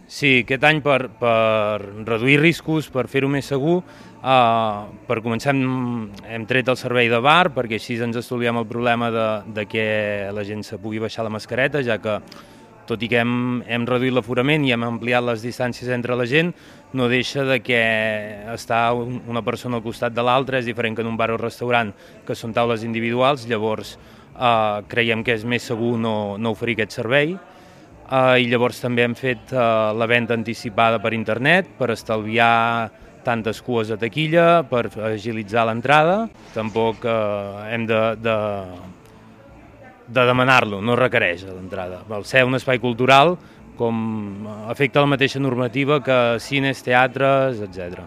Sí, aquest any per reduir riscos, per fer-ho més segur, per començar hem tret el servei de bar perquè així ens estalviem el problema de que la gent se pugui baixar la mascareta, ja que tot i que hem reduït l'aforament i hem ampliat les distàncies entre la gent, no deixa de que estar una persona al costat de l'altra és diferent que en un bar o restaurant, que són taules individuals, llavors creiem que és més segur no oferir aquest servei. I llavors també hem fet la venda anticipada per internet per estalviar tantes cues a taquilla, per agilitzar l'entrada. Tampoc hem de demanar-lo, no requereix l'entrada. Al ser un espai cultural, com afecta la mateixa normativa que cines, teatres, etc.